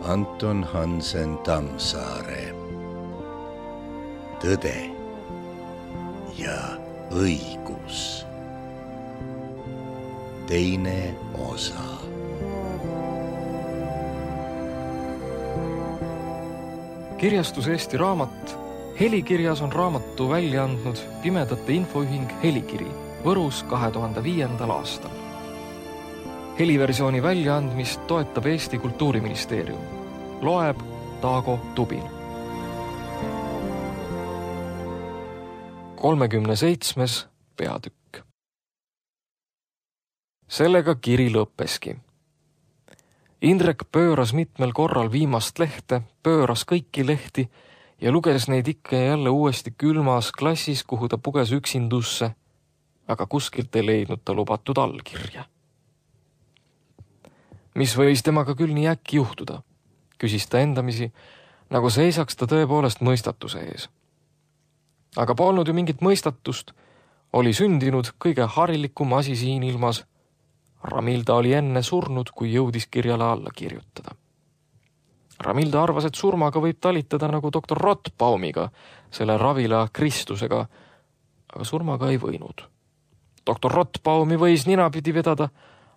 Anton Hansen Tammsaare. Tõde ja õigus. Teine osa. Kirjastus Eesti Raamat. Helikirjas on raamatu välja andnud Pimedate Infoühing Helikiri Võrus 2005. aastal. Heliversiooni väljaandmist toetab Eesti Kultuuriministeerium. Loeb Taago Tubin. 37. peatükk. Sellega kiri lõppeski. Indrek pööras mitmel korral viimast lehte, pööras kõiki lehti ja luges neid ikka ja jälle uuesti külmas klassis, kuhu ta puges üksindusse, aga kuskilt ei leidnud ta lubatud allkirja. Mis võis temaga küll nii äkki juhtuda, küsis ta endamisi, nagu seisaks ta tõepoolest mõistatuse ees. Aga polnud ju mingit mõistatust, oli sündinud kõige harilikum asi siin ilmas. Ramilda oli enne surnud, kui jõudis kirjale alla kirjutada. Ramilda arvas, et surmaga võib talitada nagu doktor Rottbaumiga, selle ravila Kristusega, aga surmaga ei võinud. Doktor Rottbaumi võis ninapidi vedada,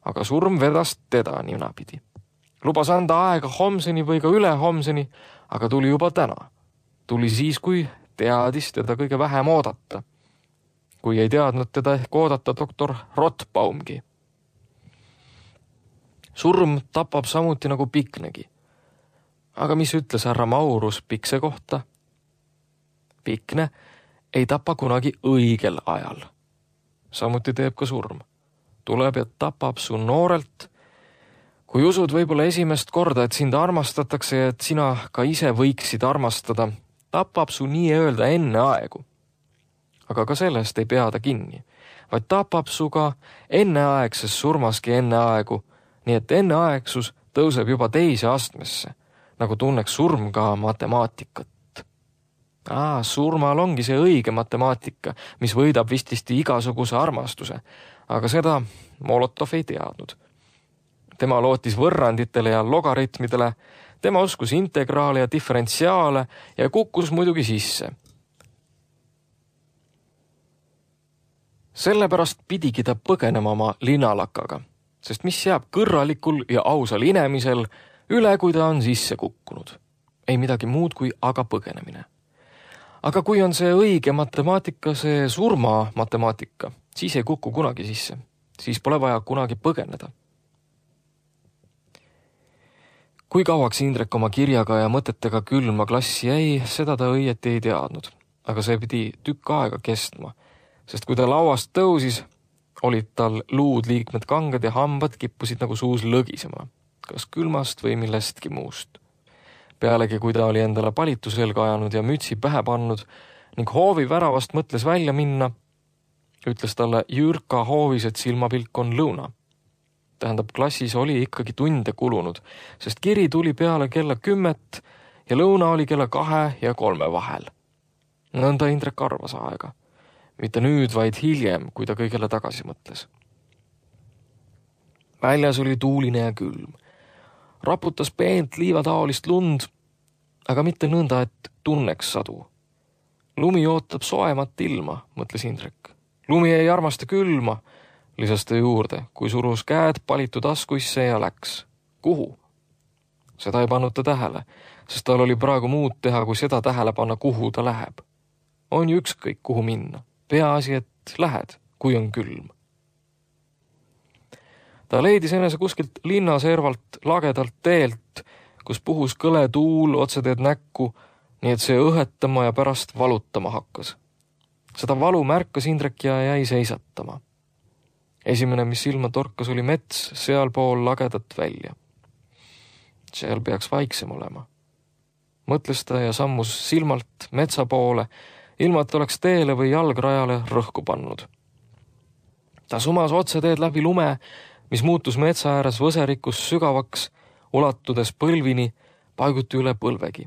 aga surm vedas teda ninapidi. Lubas anda aega homseni või ka üle homseni, aga tuli juba täna. Tuli siis, kui teadis teda kõige vähem oodata. Kui ei teadnud teda ehk oodata doktor Rottbaumgi. Surm tapab samuti nagu Piknegi. Aga mis ütles härra Maurus Pikse kohta? Pikne ei tapa kunagi õigel ajal. Samuti teeb ka surm. Tuleb ja tapab su noorelt. Kui usud võib-olla esimest korda, et sind armastatakse ja et sina ka ise võiksid armastada, tapab su nii öelda enne aegu. Aga ka sellest ei pea ta kinni, vaid tapab su ka enneaegses surmaski enne aegu, nii et enneaegsus tõuseb juba teise astmesse, nagu tunneks surm ka matemaatikat. Surmal ongi see õige matemaatika, mis võidab vististi igasuguse armastuse, aga seda Molotov ei teadnud. Tema lootis võrranditele ja logaritmidele, tema uskus integraale ja diferentsiaale ja kukkus muidugi sisse. Sellepärast pidigi ta põgenema oma linalakaga, sest mis jääb kõrralikul ja ausal inemisel üle, kui ta on sisse kukkunud. Ei midagi muud kui aga põgenemine. Aga kui on see õige matemaatika, see surma matemaatika, siis ei kuku kunagi sisse. Siis pole vaja kunagi põgeneda. Kui kauaks Indrek oma kirjaga ja mõtetega külma klassi jäi, seda ta õieti ei teadnud. Aga see pidi tükk aega kestma, sest kui ta lauast tõusis, olid tal luud liikmed kanged ja hambad kippusid nagu suus lõgisema, kas külmast või millestki muust. Pealegi, kui ta oli endale palitu selga ajanud ja mütsi pähe pannud ning hoovi väravast mõtles välja minna, ütles talle Jürka hoovis, et silmapilk on lõuna. Tähendab, klassis oli ikkagi tunde kulunud, sest kiri tuli peale kella 10 ja lõuna oli kella 2 ja 3 vahel. Nõnda Indrek arvas aega. Mitte nüüd, vaid hiljem, kui ta kõigele tagasi mõtles. Väljas oli tuuline ja külm. Raputas peent liivataolist lund, aga mitte nõnda, et tunneks sadu. Lumi ootab soemat ilma, mõtles Indrek. Lumi ei armasta külma, lisas ta juurde, kui surus käed palitu taskuisse ja läks. Kuhu? Seda ei pannud ta tähele, sest tal oli praegu muud teha, kui seda tähele panna, kuhu ta läheb. On ju ükskõik, kuhu minna. Peaasi, et lähed, kui on külm. Ta leidis enese kuskilt linnaservalt lagedalt teelt, kus puhus kõle tuul otseteed näkku, nii et see õhetama ja pärast valutama hakkas. Seda valu märkas Indrek ja jäi seisatama. Esimene, mis silma torkas, oli mets sealpool lagedat välja. Seal peaks vaiksem olema. Mõtles ta ja sammus silmalt metsa poole, ilma et oleks teele või jalgrajale rõhku pannud. Ta sumas otseteed läbi lume, mis muutus metsa ääres võserikus sügavaks, ulatudes põlvini, paiguti üle põlvegi.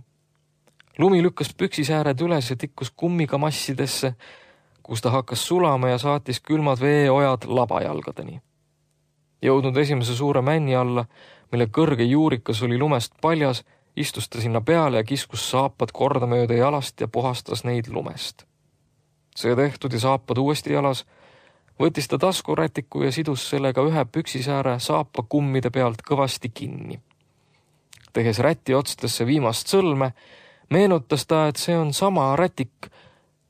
Lumi lükkas püksisääred üles ja tikkus kummiga massidesse, kus ta hakkas sulama ja saatis külmad veeojad labajalgadeni. Jõudnud esimese suure männi alla, mille kõrge juurikas oli lumest paljas, istus ta sinna peale ja kiskus saapad kordamööda jalast ja puhastas neid lumest. See tehtud ja saapad uuesti jalas, võttis ta taskurätiku ja sidus sellega ühe püksisääre saapa kummide pealt kõvasti kinni. Tehes räti otstesse viimast sõlme, meenutas ta, et see on sama rätik,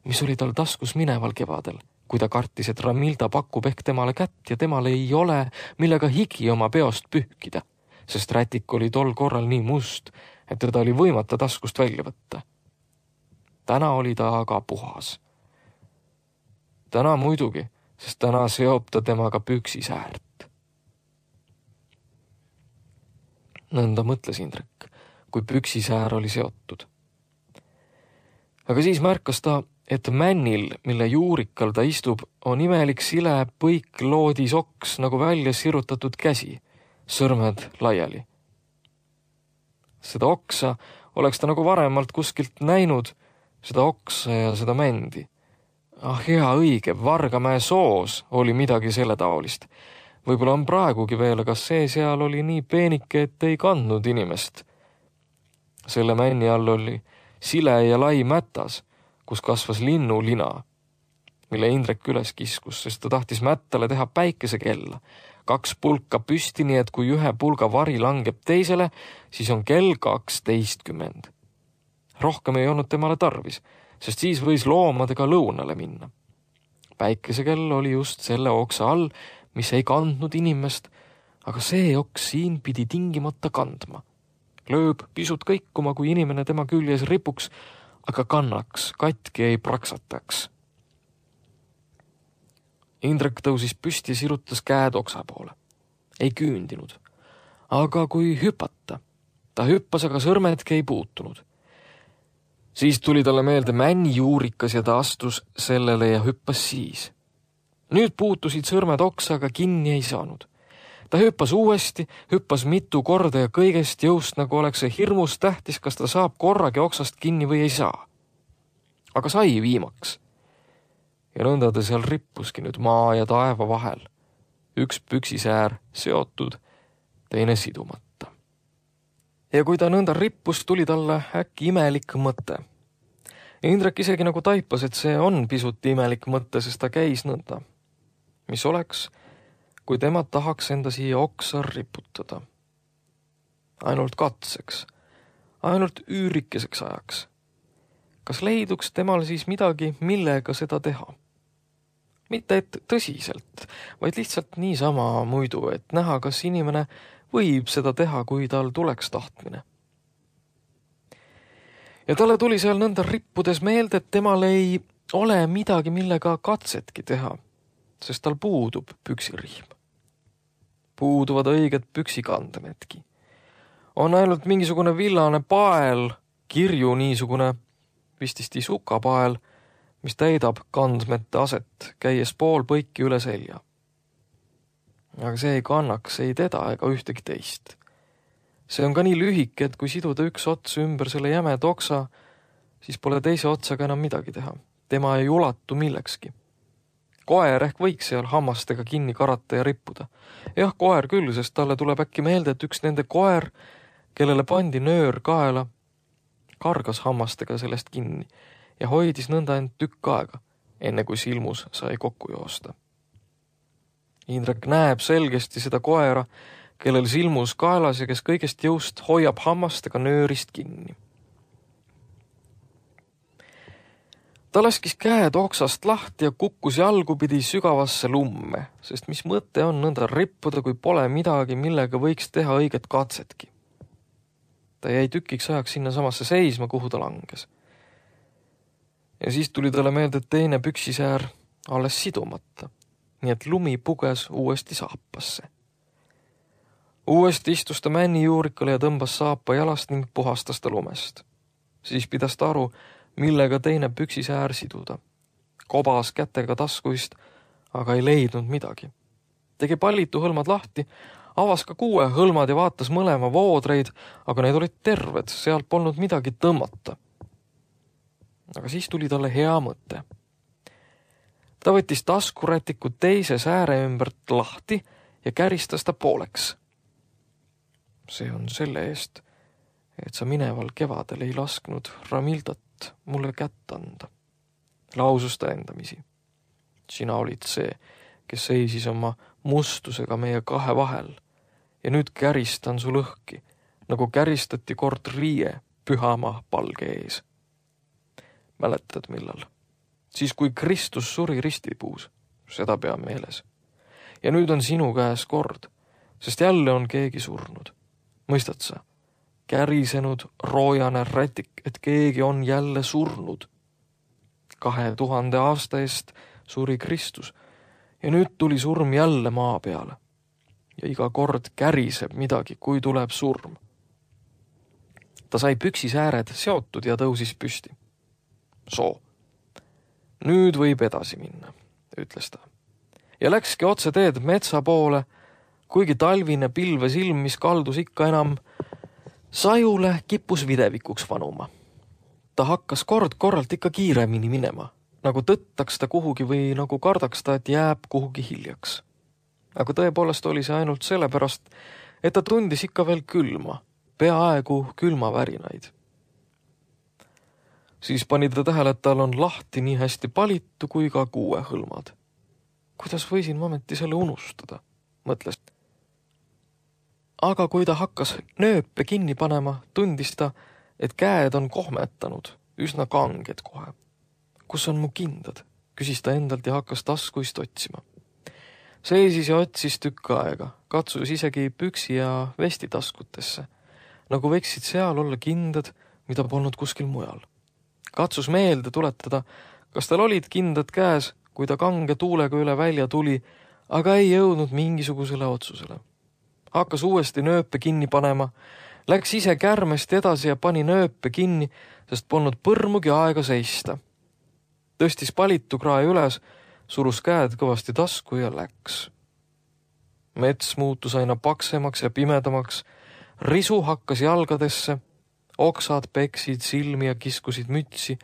mis oli tal taskus mineval kevadel, kui ta kartis, et Ramilda pakub ehk temale kätt ja temal ei ole, millega higi oma peost pühkida, sest rätik oli tol korral nii must, et teda oli võimata taskust välja võtta. Täna oli ta aga puhas. Täna muidugi, sest täna seob ta temaga püksisäärt. Nõnda mõtles Indrek, kui püksisäär oli seotud. Aga siis märkas ta, et männil, mille juurikal ta istub, on imelik sile põik loodisoks nagu välja sirutatud käsi, sõrmed laiali. Seda oksa oleks ta nagu varemalt kuskilt näinud, seda oksa ja seda mändi. Hea õige, Vargamäe soos oli midagi selle taolist. Võib-olla on praegugi veel, aga see seal oli nii peenike, et ei kandnud inimest. Selle männi all oli sile ja lai mätas, kus kasvas linnulina, mille Indrek üles kiskus, sest ta tahtis mättale teha päikesekella. 2 pulka püsti, nii et kui ühe pulga vari langeb teisele, siis on kell 12. Rohkem ei olnud temale tarvis, sest siis võis loomadega lõunale minna. Päikesekell oli just selle oksa all, mis ei kandnud inimest, aga see oks siin pidi tingimata kandma. Lööb pisut kõikuma, kui inimene tema küljes ripuks, aga kannaks, katki ei praksataks. Indrek tõusis püsti ja sirutas käed oksa poole. Ei küündinud. Aga kui hüpata, ta hüppas, aga sõrmedki ei puutunud. Siis tuli talle meelde männi juurikas ja ta astus sellele ja hüppas siis. Nüüd puutusid sõrmed oksa, aga kinni ei saanud. Ta hüppas uuesti, hüppas mitu korda ja kõigest jõust, nagu oleks see hirmus tähtis, kas ta saab korragi oksast kinni või ei saa. Aga sai viimaks. Ja nõnda ta seal rippuski nüüd maa ja taeva vahel. Üks püksisäär seotud, teine sidumata. Ja kui ta nõnda rippus, tuli talle äkki imelik mõte. Indrek isegi nagu taipas, et see on pisut imelik mõte, sest ta käis nõnda. Mis oleks, kui tema tahaks enda siia oksa riputada? Ainult katseks, ainult üürikeseks ajaks. Kas leiduks temal siis midagi, millega seda teha? Mitte et tõsiselt, vaid lihtsalt niisama muidu, et näha, kas inimene võib seda teha, kui tal tuleks tahtmine. Ja talle tuli seal nõnda rippudes meelde, et temal ei ole midagi, millega katsetki teha, sest tal puudub püksirihm. Puuduvad õiged püksikandemedki. On ainult mingisugune villane pael, kirju niisugune vististi sukapael, mis täidab kandmete aset, käies pool põiki üle selja. Aga see ei kannaks ei teda ega ühtegi teist. See on ka nii lühike, et kui siduda üks ots ümber selle jämeda oksa, siis pole teise otsaga enam midagi teha. Tema ei ulatu millekski. Koer ehk võiks seal hammastega kinni karata ja rippuda. Jah, koer küll, sest talle tuleb äkki meelde, et üks nende koer, kellele pandi nöör kaela, kargas hammastega sellest kinni ja hoidis nõnda end tükk aega, enne kui silmus sai kokku joosta. Indrek näeb selgesti seda koera, kellel silmus kaelas ja kes kõigest jõust hoiab hammastega nöörist kinni. Ta laskis käed oksast lahti ja kukkus jalgupidi sügavasse lumme, sest mis mõte on nõnda rippuda, kui pole midagi, millega võiks teha õiget katsetki. Ta jäi tükiks ajaks sinna samasse seisma, kuhu ta langes. Ja siis tuli talle meelde teine püksisäär alles sidumata, nii et lumi puges uuesti saapasse. Uuesti istus ta männi juurikale ja tõmbas saapa jalast ning puhastas ta lumest. Siis pidas ta aru, millega teine püksisäär siduda. Kobas kätega taskuist, aga ei leidnud midagi. Tegi pallitu hõlmad lahti, avas ka 6 hõlmad ja vaatas mõlema voodreid, aga need olid terved, sealt polnud midagi tõmmata. Aga siis tuli talle hea mõte. Ta võttis taskurätiku teise sääre ümbert lahti ja käristas ta pooleks. See on selle eest, et sa mineval kevadel ei lasknud Ramildat mulle kätt anda, lausus ta endamisi. Sina olid see, kes seisis oma mustusega meie kahe vahel ja nüüd käristan su lõhki, nagu käristati kord riie pühama palge ees. Mäletad millal? Siis kui Kristus suri ristipuus, seda pea meeles. Ja nüüd on sinu käes kord, sest jälle on keegi surnud. Mõistad sa? Kärisenud roojane rätik, et keegi on jälle surnud. 2000 aasta eest suri Kristus ja nüüd tuli surm jälle maa peale. Ja iga kord käriseb midagi, kui tuleb surm. Ta sai püksisääred seotud ja tõusis püsti. Soo, nüüd võib edasi minna, ütles ta. Ja läkski otse teed metsa poole, kuigi talvine pilves ilm, mis kaldus ikka enam sajule, kippus videvikuks vanuma. Ta hakkas kord-korralt ikka kiiremini minema, nagu tõttaks ta kuhugi või nagu kardaks ta, et jääb kuhugi hiljaks. Aga tõepoolest oli see ainult sellepärast, et ta tundis ikka veel külma, peaaegu külmavärinaid. Siis pani ta tähele, et tal on lahti nii hästi palitu kui ka kuuehõlmad. Kuidas võisin momenti selle unustada, mõtles. Aga kui ta hakkas nööpe kinni panema, tundis ta, et käed on kohmetanud, üsna kanged kohe. Kus on mu kindad? Küsis ta endalt ja hakkas taskuist otsima. Seisis ja otsis tükk aega, katsus isegi püksi ja vesti taskutesse, nagu võiksid seal olla kindad, mida polnud kuskil mujal. Katsus meelde tuletada, kas tal olid kindad käes, kui ta kange tuulega üle välja tuli, aga ei jõudnud mingisugusele otsusele. Hakkas uuesti nööpe kinni panema, läks ise kärmest edasi ja pani nööpe kinni, sest polnud põrmugi aega seista. Tõstis palitu krae üles, surus käed kõvasti tasku ja läks. Mets muutus aina paksemaks ja pimedamaks, risu hakkas jalgadesse, oksad peksid silmi ja kiskusid mütsi,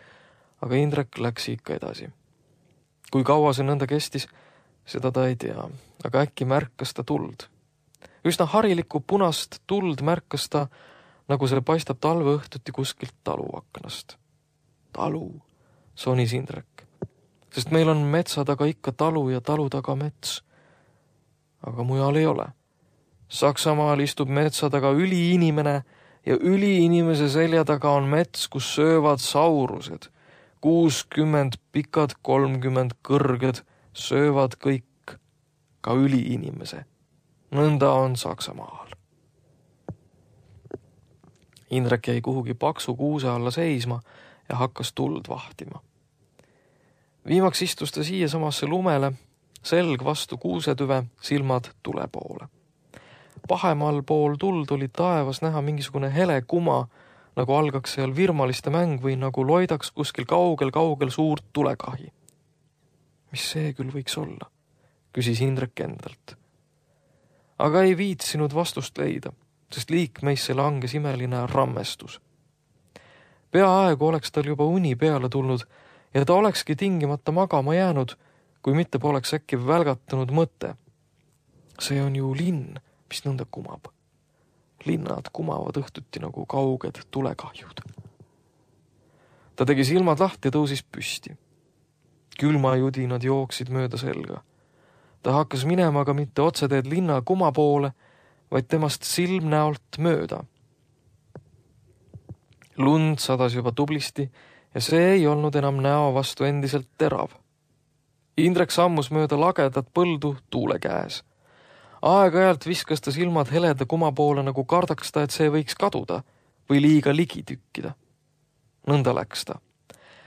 aga Indrek läks ikka edasi. Kui kaua see nõnda kestis, seda ta ei tea, aga äkki märkas ta tuld. Üsna harilikku punast tuld märkas ta, nagu see paistab talveõhtuti kuskilt taluaknast. Talu, sonis Indrek, sest meil on metsa taga ikka talu ja talu taga mets. Aga mujal ei ole. Saksamaal istub metsa taga üliinimene ja üliinimese selja taga on mets, kus söövad saurused. 60 pikad, 30 kõrged, söövad kõik, ka üliinimese. Nõnda on Saksamaal. Indrek jäi kuhugi paksu kuuse alla seisma ja hakkas tuld vahtima. Viimaks istus ta siia samasse lumele, selg vastu kuusetüve, silmad tule poole. Pahemal pool tuld oli taevas näha mingisugune hele kuma, nagu algaks seal virmaliste mäng või nagu loidaks kuskil kaugel suurt tulekahi. Mis see küll võiks olla? Küsis Indrek endalt. Aga ei viitsinud vastust leida, sest liikmeisse langes imeline rammestus. Peaaegu oleks tal juba uni peale tulnud ja ta olekski tingimata magama jäänud, kui mitte poleks äkki välgatanud mõte. See on ju linn, mis nõnda kumab. Linnad kumavad õhtuti nagu kauged tulekahjud. Ta tegi silmad lahti ja tõusis püsti. Külmajudinad jooksid mööda selga. Ta hakkas minema aga mitte otseteed linna kuma poole, vaid temast silmnäolt mööda. Lund sadas juba tublisti ja see ei olnud enam näo vastu endiselt terav. Indrek sammus mööda lagedat põldu tuule käes. Aeg-ajalt viskas ta silmad heleda kuma poole, nagu kardaks ta, et see võiks kaduda või liiga ligi tükkida. Nõnda läks ta.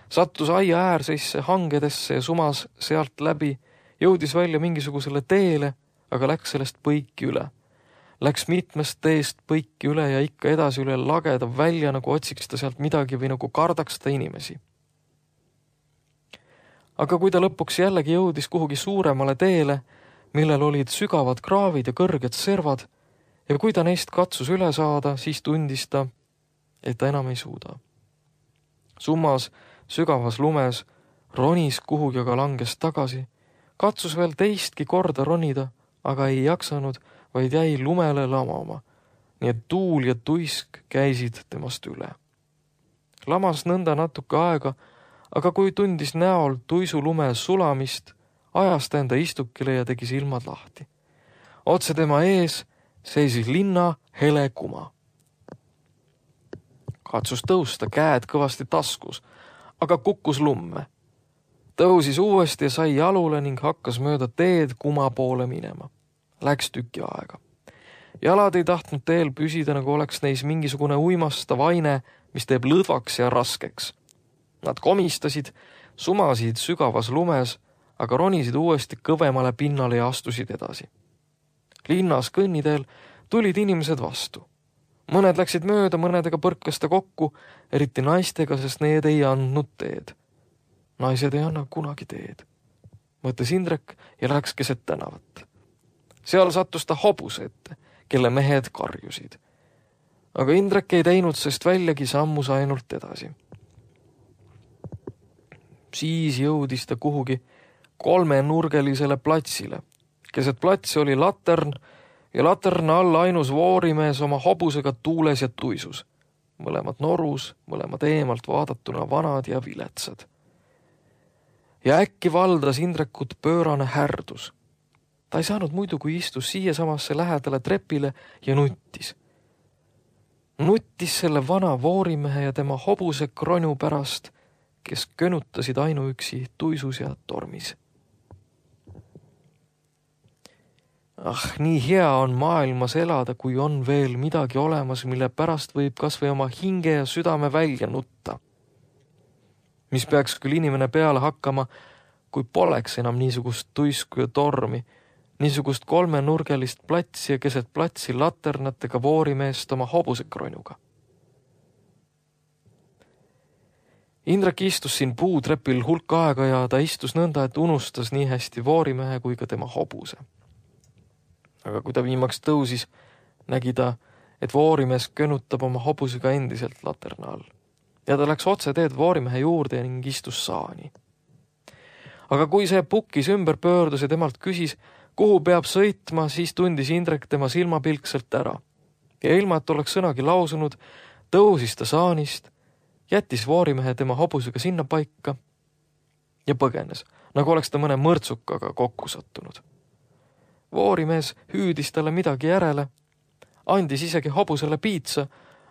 Sattus aia äärseisse hangedesse ja sumas sealt läbi, jõudis välja mingisugusele teele, aga läks sellest põiki üle. Läks mitmest teest põiki üle ja ikka edasi üle lageda välja, nagu otsiks ta sealt midagi või nagu kardaks ta inimesi. Aga kui ta lõpuks jällegi jõudis kuhugi suuremale teele, millel olid sügavad kraavid ja kõrged servad, ja kui ta neist katsus üle saada, siis tundis ta, et ta enam ei suuda. Summas, sügavas lumes, ronis kuhugi aga langes tagasi, katsus veel teistki korda ronida, aga ei jaksanud, vaid jäi lumele lamama, nii et tuul ja tuisk käisid temast üle. Lamas nõnda natuke aega, aga kui tundis näol tuisulume sulamist, ajas ta enda istukile ja tegi silmad lahti. Otse tema ees seisis linna hele kuma. Katsus tõusta, käed kõvasti taskus, aga kukkus lumme. Tõusis uuesti ja sai jalule ning hakkas mööda teed kuma poole minema. Läks tüki aega. Jalad ei tahtnud teel püsida, nagu oleks neis mingisugune uimastav aine, mis teeb lõdvaks ja raskeks. Nad komistasid, sumasid sügavas lumes, aga ronisid uuesti kõvemale pinnale ja astusid edasi. Linnas kõnniteel tulid inimesed vastu. Mõned läksid mööda, mõnedega põrkas ta kokku, eriti naistega, sest need ei andnud teed. Naised ei anna kunagi teed, mõtles Indrek ja läks keset tänavat. Seal sattus ta hobuse ette, kelle mehed karjusid. Aga Indrek ei teinud sest väljagi, sammus ainult edasi. Siis jõudis ta kuhugi 3-nurgelisele platsile. Keset platsi oli latern ja laterna all ainus voorimees oma hobusega tuules ja tuisus. Mõlemad norus, mõlemad eemalt vaadatuna vanad ja viletsad. Ja äkki valdas Indrekut pöörane härdus. Ta ei saanud muidu, kui istus siia samasse lähedale trepile ja nuttis. Nuttis selle vana voorimehe ja tema hobuse kronju pärast, kes könutasid ainuüksi tuisus ja tormis. Nii hea on maailmas elada, kui on veel midagi olemas, mille pärast võib kas või oma hinge ja südame välja nutta. Mis peaks küll inimene peale hakkama, kui poleks enam niisugust tuisku ja tormi, niisugust 3-nurgelist platsi ja keset platsi laternatega voorimeest oma hobusekronuga. Indrek istus siin puutrepil hulk aega ja ta istus nõnda, et unustas nii hästi voorimehe kui ka tema hobuse. Aga kui ta viimaks tõusis, nägi ta, et voorimees könutab oma hobusega endiselt laterna all. Ja ta läks otse teed voorimehe juurde ning istus saani. Aga kui see pukkis ümber pöördus ja temalt küsis, kuhu peab sõitma, siis tundis Indrek tema silmapilkselt ära. Ja ilma, et oleks sõnagi lausunud, tõusis ta saanist, jättis voorimehe tema hobusega sinna paika ja põgenes, nagu oleks ta mõne mõrtsukaga kokku sattunud. Voorimees hüüdis talle midagi järele, andis isegi hobusele piitsa,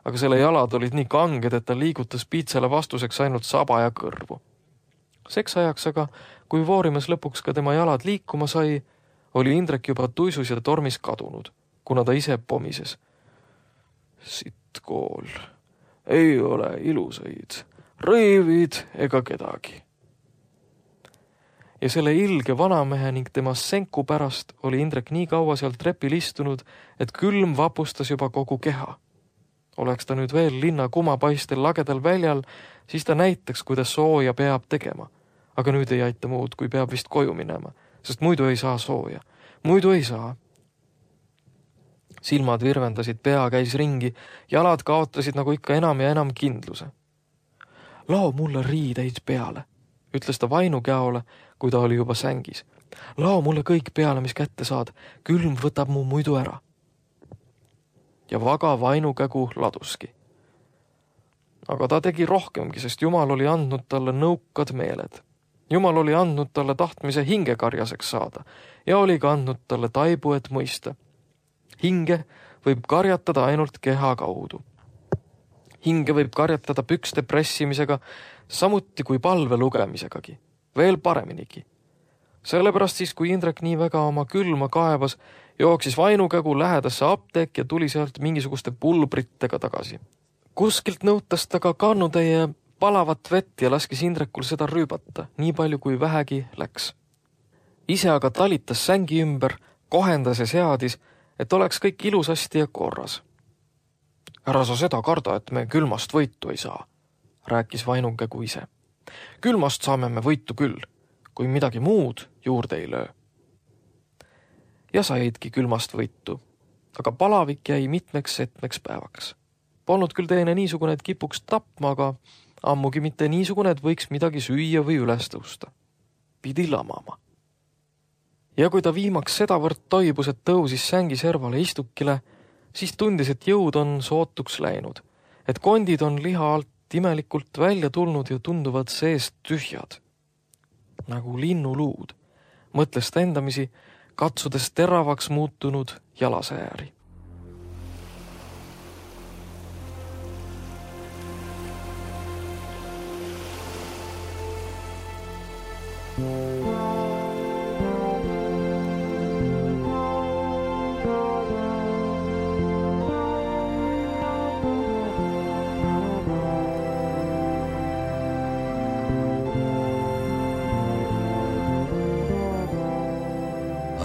aga selle jalad olid nii kanged, et ta liigutas piitsale vastuseks ainult saba ja kõrvu. Seks ajaks aga, kui voorimees lõpuks ka tema jalad liikuma sai, oli Indrek juba tuisus ja tormis kadunud, kuna ta ise pomises. Sitt kool, ei ole ilusaid, rõivid ega kedagi. Ja selle ilge vanamehe ning tema senku pärast oli Indrek nii kaua seal trepil istunud, et külm vapustas juba kogu keha. Oleks ta nüüd veel linna kumapaistel lagedal väljal, siis ta näitaks, kuidas sooja peab tegema. Aga nüüd ei aita muud, kui peab vist koju minema, sest muidu ei saa sooja. Muidu ei saa. Silmad virvendasid, pea käis ringi, jalad kaotasid nagu ikka enam ja enam kindluse. Lao mulle riideid peale, ütles ta vainukäole, kui ta oli juba sängis. Lao mulle kõik peale, mis kätte saad, külm võtab mu muidu ära. Ja vaga vainukägu laduski. Aga ta tegi rohkemgi, sest Jumal oli andnud talle nõukad meeled. Jumal oli andnud talle tahtmise hingekarjaseks saada ja oli ka andnud talle taibu, et mõista. Hinge võib karjatada ainult keha kaudu. Hinge võib karjatada pükste pressimisega, samuti kui palve lugemisegagi. Veel pareminigi. Sellepärast siis, kui Indrek nii väga oma külma kaevas, jooksis vainukägu lähedasse apteek ja tuli sealt mingisuguste pulbritega tagasi. Kuskilt nõutas ta ka kannutäie palavat vett ja laskis Indrekul seda rüübata, nii palju kui vähegi läks. Ise aga talitas sängi ümber, kohendas ja seadis, et oleks kõik ilusasti ja korras. Ära sa seda karda, et me külmast võitu ei saa, rääkis vainukägu ise. Külmast saame me võitu küll, kui midagi muud juurde ei löö. Ja saidki külmast võitu, aga palavik jäi mitmeks päevaks. Polnud küll teine niisugune, et kipuks tapma, aga ammugi mitte niisugune, et võiks midagi süüa või üles tõusta. Pidi lamama. Ja kui ta viimaks sedavõrd toibus, et tõusis sängi servale istukile, siis tundis, et jõud on sootuks läinud, et kondid on liha alt imelikult välja tulnud ja tunduvad seest tühjad. Nagu linnuluud, mõtles ta endamisi, katsudes teravaks muutunud jalasääri.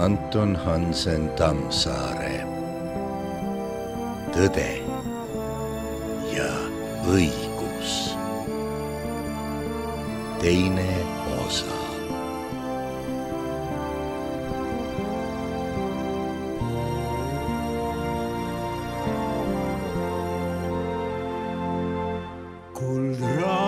Anton Hansen Tammsaare. Tõde ja õigus. Teine osa. Kuldraadios